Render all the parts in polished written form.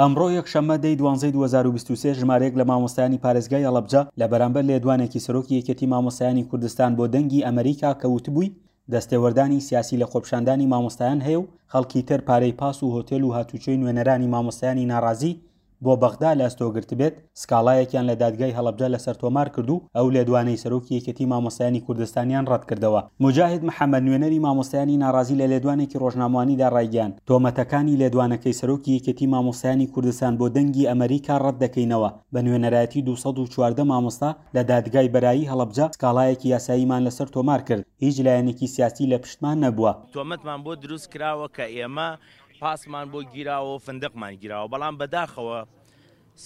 ئەمڕۆ یەکشەممە دەی دوانزەی 2023 ژمارەیەک لە مامۆستایانی پارێزگای هەڵەبجە لە بەرامبەر لێدوانێکی سەرۆکی یەکێتی مامۆستایانی کوردستان بۆ دەنگی ئەمەریکا کە وتبووی دەستێوەردانی سیاسی لە خۆپیشاندانی مامۆستایان هەیە و خەڵکی تر پارەی پاس و هۆتێل و هاتوچۆی نوێنەرانی مامۆستایانی ناڕازی بۆ بەغدا لە ئەستۆ گرتبێت، سکاڵایەکیان لە دادگای هەڵەبجە لەسەر تۆمار کرد و ئەو لێدوانەی سەرۆکی یەکێتی مامۆستایانی کوردستانیان ڕەتکردەوە. موجاهید محەمەد نوێنەری مامۆستایانی ناڕازی لە لێدوانێکی ڕۆژنامەوانیدا ڕایگەیاند، تۆمەتەکانی لێدوانەکەی سەرۆکی یەکێتی مامۆستایانی کوردستان بۆ دەنگی ئەمەریکا ڕەتدەکەینەوە، بە نوێنەرایەتی 214 مامۆستا لە دادگای بەرایی هەڵەبجە سکاڵایەکی یاساییمان لەسەر تۆمار کرد، هیچ لایەنێکی سیاسی لە پشتمان نەبووە. تۆمەتمان بۆ دروست کراوە کە ئێمە پاسمان بۆ گیراوە و فندقمان گیراوە، بەڵام بەداخەوە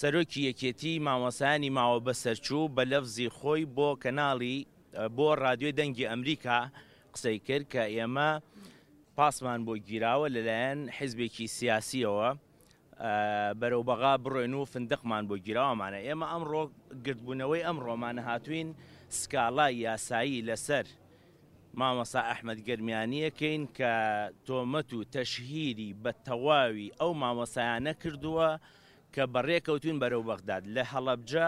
سەرۆکی یەکێتی مامۆستایانی ماوە بەسەرچوو بە لەفزی خۆی بۆ کەناڵی بۆ رادیۆی دەنگی ئەمریکا قسەی کرد کە ئێمە پاسمان بۆ گیراوە لەلایەن حیزبێکی سیاسیەوە بەرەو بەغا بڕۆین و فندقمان بۆ گیراوەمانە ئێمە ئەمڕۆ گردبوونەوەی ئەمڕۆمانە هاتوین سکاڵای یاسایی لەسەر مامۆستا ئەحمەد گەرمیانیەکەین کە تۆمەت و تەشهیری بە تەواوی ئەو مامۆستایانە کردووە کە بەڕێکەوتوین بەرەو بەغداد لە هەڵەبجە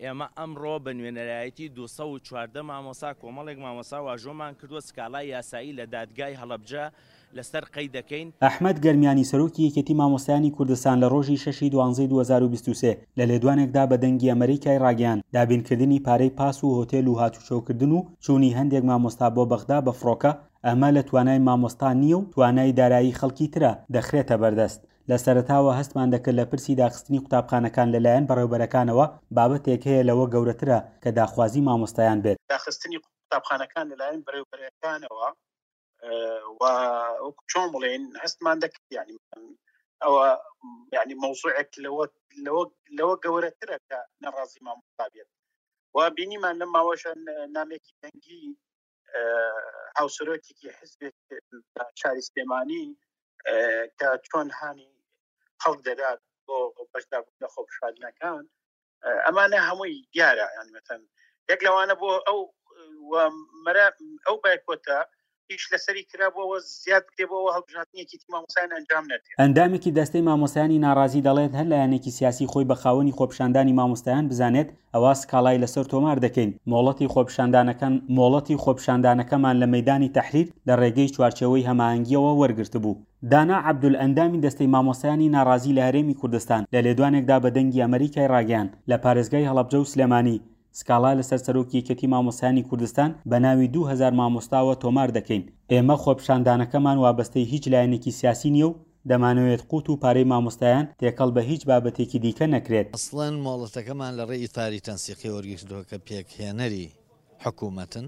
ئێمە ئەمڕۆ بە نوێنەرایەتی 214 مامۆسا کۆمەڵێک مامۆسا واژۆمان کردووە سکاڵای یاسایی لە دادگای هەڵەبجە لەسەر قەید دەکەین. ئەحمەد گەرمیانی سەرۆکی یەکێتی مامۆستایانی کوردستان لە ڕۆژی شەشی دوانزەی 2023 لە لێدوانێکدا بە دەنگی ئەمەریکای ڕاگەیاند دابینکردنی پارەی پاس و هۆتێل و هاتوچۆکردن و چوونی هەندێک مامۆستا بۆ بەغدا بە فڕۆکە ئەمە لە توانای مامۆستا نییە و توانای دارایی خەڵکی ترە دەخرێتە بەردەست. لە سەرەتاوە هەستمان دەکرد لە پرسی داخستنی قوتابخانەکان لەلایەن بەڕێوبەرەکانەوە بابەتێک هەیە لەوە گەورەترە کە داخوازی مامۆستایان بێت. داخستنی قوتابخانەکان لەلایەن بەڕێوبەرەکانەوە و وەکو چۆن بڵێن هەستمان دەکرد یعنی ئەوە یعنی مەوزوعێک لەوە لەوە لەوە گەورەترە کە نەڕازی مامۆستا بێت و بینیمان لەم ماوەشە نامێکی دەنگی هاوسەرۆکێکی حزبێک شاری سلێمانی کە چۆن هانی خەڵک دەدات بۆ بەشداربوون لە خۆپیشاندنەکان ئەمانە هەمووی دیارە یان مەتەن یەک لەوانە بۆ ئەو مەرا ئەو بایکۆتە ئیش لەسەری کرا بۆەوە زیاد بکرێ بۆەوە هەڵبژاردنێکی تی مامۆستایان ئەنجام نەدرێت. ئەندامێکی دەستەی مامۆستایانی ناڕازی دەڵێت هەر لایەنێکی سیاسی خۆی بە خاوەنی خۆپیشاندانی مامۆستایان بزانێت ئەوا سکاڵای لەسەر تۆمار دەکەین مۆڵەتی خۆپیشاندانەکەن مۆڵەتی خۆپیشاندانەکەمان لە مەیدانی تەحریر لە ڕێگەی چوارچێوەی هەماهەنگییەوە وەرگرتبوو. دانا عەبدول ئەندامی دەستەی مامۆستایانی ناڕازی لە هەرێمی کوردستان لە لێدوانێکدا بە دەنگی ئەمەریکای ڕاگەیاند لە پارێزگای هەڵەبجە و سلێمانی سکاڵا لەسەر سەرۆکی یەکێتی مامۆستایانی کوردستان بە ناوی 2000 مامۆستاوە تۆمار دەکەین، ئێمە خۆپیشاندانەکەمان وابەستەی هیچ لایەنێکی سیاسی نییە و دەمانەوێت قوت و پارەی مامۆستایان تێکەڵ بە هیچ بابەتێکی دیکە نەکرێت. ئەسڵەن مۆڵەتەکەمان لە ڕێی ئیتاری تەنسیقی وەرگرتووە کە پێکهێنەری حکوومەتن،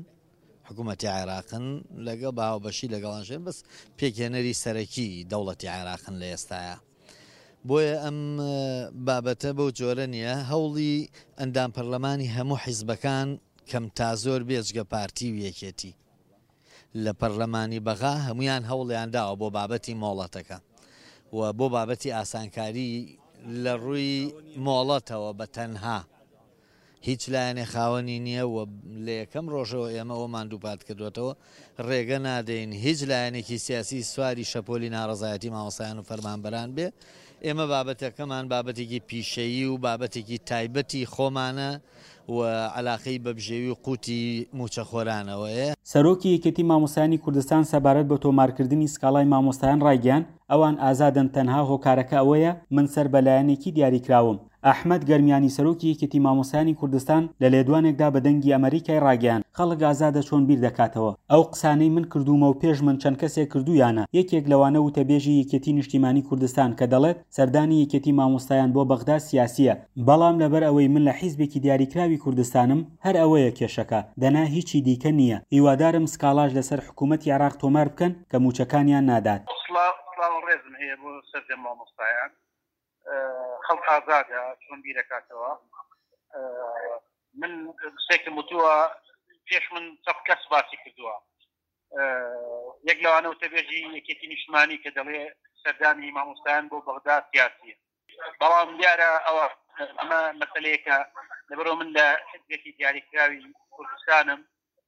حکوومەتی عێراقن لەگەڵ بە هاوبەشی لەگەڵان شێن بەس پێکهێنەری سەرەکی دەوڵەتی عێراقن لە ئێستایا. بۆیە ئەم بابەتە بەو جۆرە نییە. هەوڵی ئەندام پەرلەمانی هەموو حیزبەکان کەم تا زۆر بێجگە پارتی و یەکێتی لە پەرلەمانی بەغا هەموویان هەوڵیان داوە بۆ بابەتی مۆڵەتەکە و بۆ بابەتی ئاسانکاری لە ڕووی مۆڵەتەوە بە تەنها هیچ لایەنێ خاوەنی نییە و لە یەکەم ڕۆژەوە ئێمە ئەوەمان دووپات کردووەتەوە، ڕێگە نادەین هیچ لایەنێکی سیاسی سواری شەپۆلی ناڕەزایەتی مامۆستایان و فەرمانبەران بێ، ئێمە بابەتەکەمان بابەتێکی پیشەیی و بابەتێکی تایبەتی خۆمانە و عەلاقەی بە بژێوی و قوتی مووچەخۆرانەوەیە. سەرۆکی یەکێتی مامۆستایانی کوردستان سەبارەت بە تۆمارکردنی سکاڵای مامۆستایان ڕایگەیاند، ئەوان ئازادن تەنها هۆکارەکە ئەوەیە من سەر بە لایەنێکی دیاریکراوم. ئەحمەد گەرمیانی سەرۆکی یەکێتی مامۆستایانی کوردستان لە لێدوانێکدا بە دەنگی ئەمەریکای ڕاگەیاند، خەڵک ئازادە چۆن بیر دەکاتەوە، ئەو قسانەی من کردوومە و پێش من چەند کەسێک کردوویانە، یەکێک لەوانە وتەبێژی یەکێتی نیشتیمانی کوردستان کە دەڵێت سەردانی یەکێتی مامۆستایان بۆ بەغدا سیاسییە، بەڵام لەبەر ئەوەی من لە حیزبێکی دیاریکراوی کوردستانم هەر ئەوەیە کێشەکە، دەنا هیچی دیکە نییە، هیوادارم سکاڵاش لەسەر حکوومەتی عێراق تۆمار بکەن کە مووچەکانیان نادات. سڵاو و ڕێزم هەیە بۆ سەرجەم مامۆستایان. خەڵک ئازادە چۆن بیرەکاتەوە من قسێکم وتووە پێش من چەند کەس باسی کردووە یەک لەوانە وتەبێژی یەکێتی نیشتمانی کە دەڵێ سەردانی مامۆستایان بۆ بەغدا سیاسیە بەڵام دیارە ئەوە ئەمە مەسلەیەکە لەبەرەوە من لە حزبێکی دیاریکراوی کوردستانم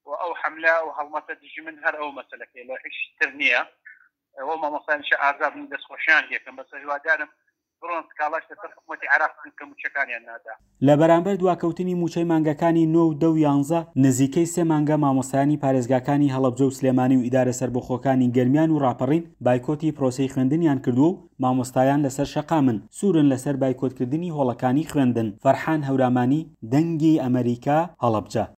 و ئەو حملە و هەڵمەتە دژی من هەر ئەو مەسلەکەی لە هیچ تر نییە ئەو مامۆستایانیشە ئازاد بن دەستخۆشیان لێکەم بەس هیوادارم. بڕۆن سکاڵاش لەسەر حکومەتی عێراق بکەن کە مووچەکانیان نادا. لە بەرامبەر دواکەوتنی مووچەی مانگەکانی نۆ و دە و یانزە، نزیکەی سێ مانگە مامۆستایانی پارێزگاکانی هەڵەبجە و سلێمانی و ئیدارە سەربەخۆکانی گەرمیان و ڕاپەڕین بایکۆتی پرۆسەی خوێندنیان کردووە و مامۆستایان لەسەر شەقامن، سوورن لەسەر بایکۆتکردنی هۆڵەکانی خوێندن. فەرحان هەورامانی، دەنگی ئەمەریکا، هەڵەبجە.